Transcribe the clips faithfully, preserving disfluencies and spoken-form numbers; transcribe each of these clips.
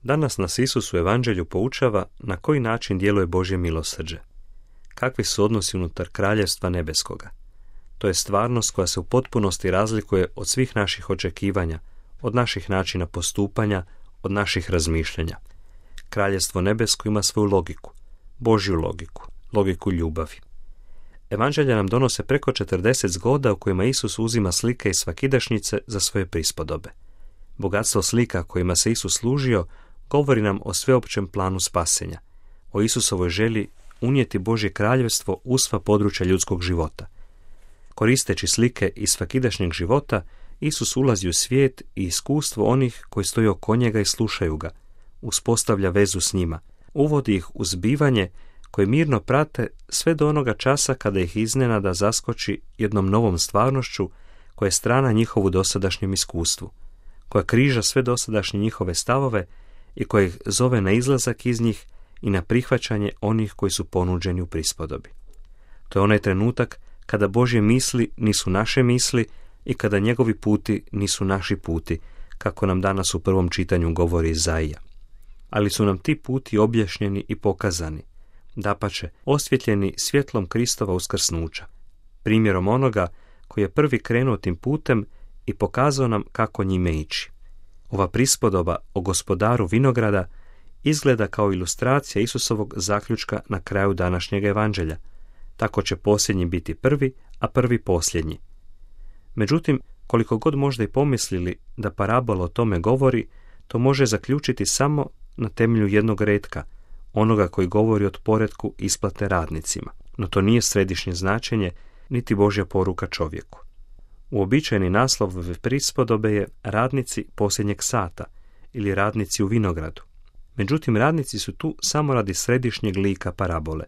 Danas nas Isus u Evanđelju poučava na koji način djeluje Božje milosrđe. Kakvi su odnosi unutar kraljevstva nebeskoga. To je stvarnost koja se u potpunosti razlikuje od svih naših očekivanja, od naših načina postupanja, od naših razmišljanja. Kraljevstvo nebesko ima svoju logiku, Božju logiku, logiku ljubavi. Evanđelja nam donose preko četrdeset zgoda u kojima Isus uzima slike iz svakidašnjice za svoje prispodobe. Bogatstvo slika kojima se Isus služio govori nam o sveopćem planu spasenja, o Isusovoj želji unijeti Božje kraljevstvo u sva područja ljudskog života. Koristeći slike iz svakidašnjeg života, Isus ulazi u svijet i iskustvo onih koji stoje oko njega i slušaju ga, uspostavlja vezu s njima, uvodi ih u zbivanje koje mirno prate sve do onoga časa kada ih iznenada zaskoči jednom novom stvarnošću koja je strana njihovu dosadašnjem iskustvu, koja križa sve dosadašnje njihove stavove i koja ih zove na izlazak iz njih i na prihvaćanje onih koji su ponuđeni u prispodobi. To je onaj trenutak kada Božje misli nisu naše misli i kada njegovi puti nisu naši puti, kako nam danas u prvom čitanju govori Izaija. Ali su nam ti puti objašnjeni i pokazani, dapače, osvjetljeni svjetlom Kristova uskrsnuća, primjerom onoga koji je prvi krenuo tim putem i pokazao nam kako njime ići. Ova prispodoba o gospodaru vinograda izgleda kao ilustracija Isusovog zaključka na kraju današnjeg evanđelja. Tako će posljednji biti prvi, a prvi posljednji. Međutim, koliko god možda i pomislili da parabola o tome govori, to može zaključiti samo na temelju jednog retka, onoga koji govori o poretku isplate radnicima. No to nije središnje značenje, niti Božja poruka čovjeku. Uobičajeni naslov ove prispodobe je radnici posljednjeg sata ili radnici u vinogradu. Međutim, radnici su tu samo radi središnjeg lika parabole,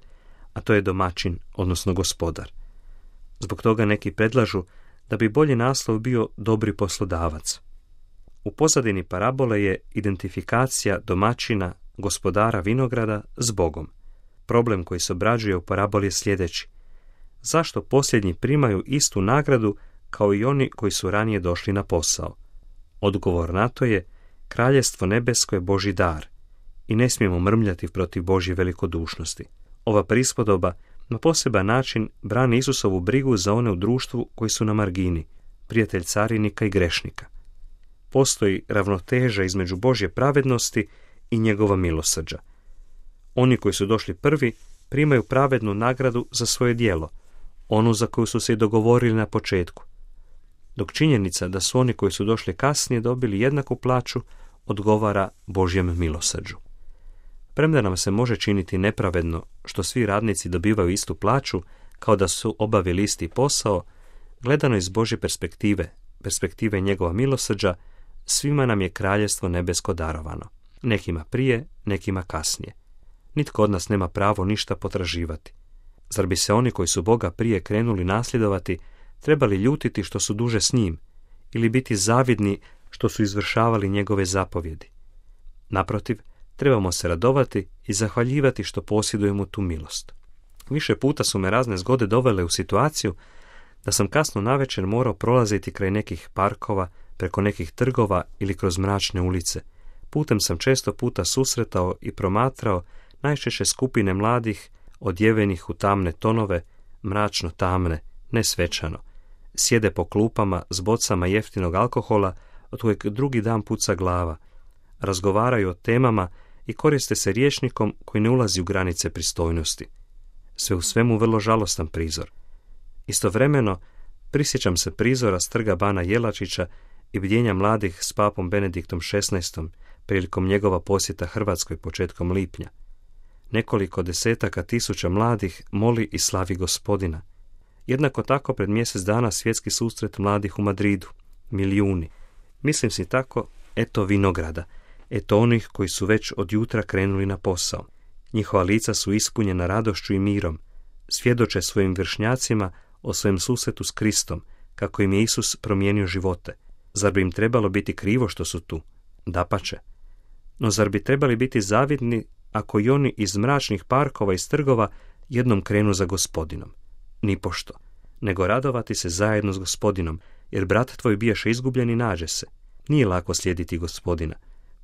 a to je domaćin, odnosno gospodar. Zbog toga neki predlažu da bi bolji naslov bio dobri poslodavac. U pozadini parabole je identifikacija domaćina, gospodara vinograda s Bogom. Problem koji se obrađuje u paraboli je sljedeći. Zašto posljednji primaju istu nagradu kao i oni koji su ranije došli na posao? Odgovor na to je: kraljevstvo nebesko je Božji dar i ne smijemo mrmljati protiv Božje velikodušnosti. Ova prispodoba na poseban način brani Isusovu brigu za one u društvu koji su na margini, prijatelj carinika i grešnika. Postoji ravnoteža između Božje pravednosti i njegova milosrđa. Oni koji su došli prvi primaju pravednu nagradu za svoje djelo, onu za koju su se i dogovorili na početku, dok činjenica da su oni koji su došli kasnije dobili jednaku plaću odgovara Božjem milosrđu. Premda nam se može činiti nepravedno što svi radnici dobivaju istu plaću kao da su obavili isti posao, gledano iz Božje perspektive, perspektive njegova milosrđa, svima nam je kraljevstvo nebesko darovano. Nekima prije, nekima kasnije. Nitko od nas nema pravo ništa potraživati. Zar bi se oni koji su Boga prije krenuli nasljedovati trebali ljutiti što su duže s njim ili biti zavidni što su izvršavali njegove zapovjedi? Naprotiv, trebamo se radovati i zahvaljivati što posjedujemo tu milost. Više puta su me razne zgode dovele u situaciju da sam kasno navečer morao prolaziti kraj nekih parkova, preko nekih trgova ili kroz mračne ulice. Putem sam često puta susretao i promatrao najčešće skupine mladih, odjevenih u tamne tonove, mračno tamne, ne svečano. Sjede po klupama s bocama jeftinog alkohola, od kojeg drugi dan puca glava. Razgovaraju o temama i koriste se rječnikom koji ne ulazi u granice pristojnosti. Sve u svemu vrlo žalostan prizor. Istovremeno prisjećam se prizora s trga bana Jelačića i bdjenja mladih s papom Benediktom šesnaestom prilikom njegova posjeta Hrvatskoj početkom lipnja. Nekoliko desetaka tisuća mladih moli i slavi Gospodina. Jednako tako pred mjesec dana svjetski susret mladih u Madridu. Milijuni. Mislim si tako, eto vinograda, eto onih koji su već od jutra krenuli na posao. Njihova lica su ispunjena radošću i mirom. Svjedoče svojim vršnjacima o svojem susretu s Kristom, kako im je Isus promijenio živote. Zar bi im trebalo biti krivo što su tu? Dapače. No zar bi trebali biti zavidni ako i oni iz mračnih parkova i trgova jednom krenu za Gospodinom? Nipošto. Nego radovati se zajedno s Gospodinom, jer brat tvoj bijaše izgubljen i nađe se. Nije lako slijediti Gospodina.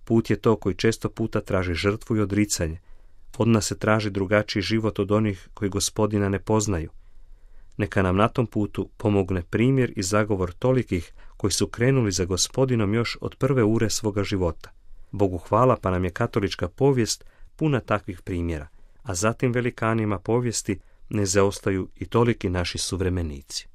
Put je to koji često puta traži žrtvu i odricanje. Od nas se traži drugačiji život od onih koji Gospodina ne poznaju. Neka nam na tom putu pomogne primjer i zagovor tolikih koji su krenuli za Gospodinom još od prve ure svoga života. Bogu hvala, pa nam je katolička povijest puna takvih primjera, a zatim velikanima povijesti ne zaostaju i toliki naši suvremenici.